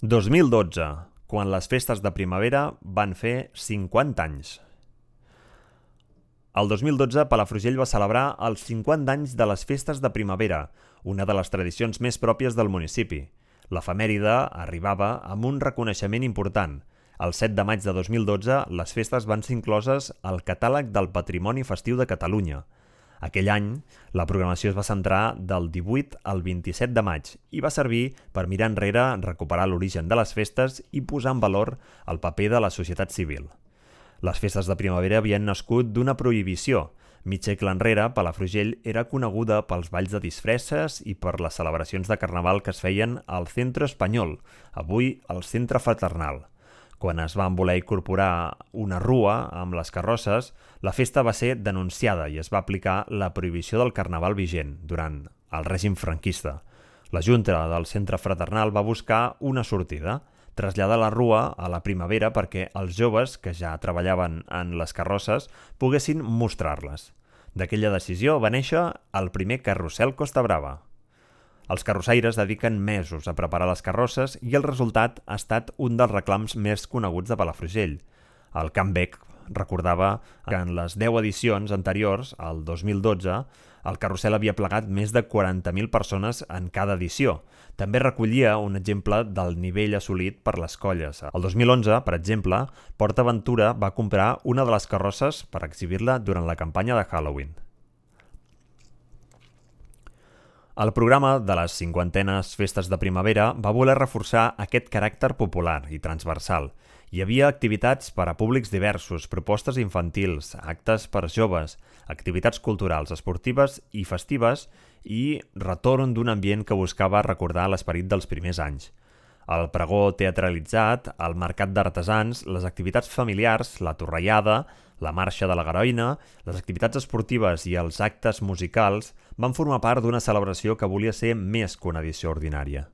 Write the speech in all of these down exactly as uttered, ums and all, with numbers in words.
dos mil dotze, quan les festes de primavera van fer cinquanta anys. El dos mil dotze, Palafrugell va celebrar els cinquanta anys de les festes de primavera, una de les tradicions més pròpies del municipi. L'efemèride arribava amb un reconeixement important. El set de maig de dos mil dotze, les festes van ser incloses al Catàleg del Patrimoni Festiu de Catalunya. Aquell any, la programació es va centrar del divuit al vint-i-set de maig i va servir per mirar enrere, recuperar l'origen de les festes i posar en valor el paper de la societat civil. Les festes de primavera havien nascut d'una prohibició. Mig segle enrere, Palafrugell era coneguda pels balls de disfresses i per les celebracions de carnaval que es feien al Centre Espanyol, avui el Centre Fraternal. Quan es van voler incorporar una rua amb les carrosses, la festa va ser denunciada i es va aplicar la prohibició del carnaval vigent durant el règim franquista. La Junta del Centre Fraternal va buscar una sortida, traslladar la rua a la primavera perquè els joves que ja treballaven en les carrosses poguessin mostrar-les. D'aquella decisió va néixer el primer carrusel Costa Brava. Els carrossaires dediquen mesos a preparar les carrosses i el resultat ha estat un dels reclams més coneguts de Palafrugell. El Can Bec recordava que en les deu edicions anteriors, al dos mil dotze, el carrusel havia plegat més de quaranta mil persones en cada edició. També recollia un exemple del nivell assolit per les colles. El dos mil onze, per exemple, Port Aventura va comprar una de les carrosses per exhibir-la durant la campanya de Halloween. El programa de les cinquantenes festes de primavera va voler reforçar aquest caràcter popular i transversal. Hi havia activitats per a públics diversos, propostes infantils, actes per joves, activitats culturals, esportives i festives i retorn d'un ambient que buscava recordar l'esperit dels primers anys. El pregó teatralitzat, el mercat d'artesans, les activitats familiars, la torrellada, la marxa de la Garoina, les activitats esportives i els actes musicals van formar part d'una celebració que volia ser més que una edició ordinària.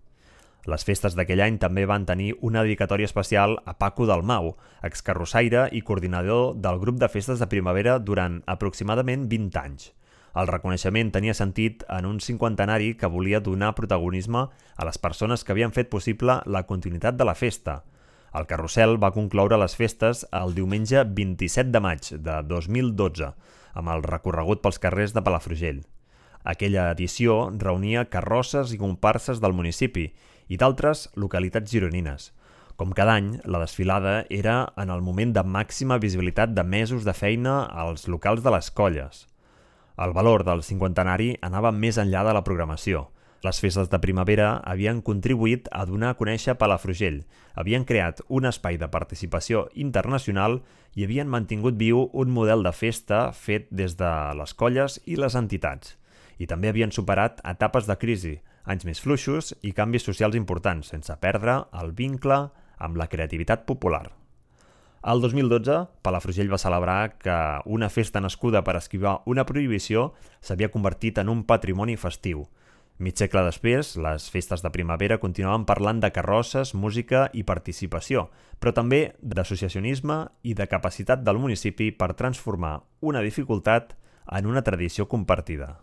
Les festes d'aquell any també van tenir una dedicatòria especial a Paco Dalmau, excarrossaire i coordinador del grup de festes de primavera durant aproximadament vint anys. El reconeixement tenia sentit en un cinquantenari que volia donar protagonisme a les persones que havien fet possible la continuïtat de la festa. El carrusel va concloure les festes el diumenge vint-i-set de maig de dos mil dotze, amb el recorregut pels carrers de Palafrugell. Aquella edició reunia carrosses i comparses del municipi i d'altres localitats gironines. Com cada any, la desfilada era en el moment de màxima visibilitat de mesos de feina als locals de les colles. El valor del cinquantenari anava més enllà de la programació. Les festes de primavera havien contribuït a donar a conèixer Palafrugell, havien creat un espai de participació internacional i havien mantingut viu un model de festa fet des de les colles i les entitats. I també havien superat etapes de crisi, anys més fluixos i canvis socials importants, sense perdre el vincle amb la creativitat popular. El dos mil dotze, Palafrugell va celebrar que una festa nascuda per esquivar una prohibició s'havia convertit en un patrimoni festiu. Mig segle després, les festes de primavera continuaven parlant de carrosses, música i participació, però també d'associacionisme i de capacitat del municipi per transformar una dificultat en una tradició compartida.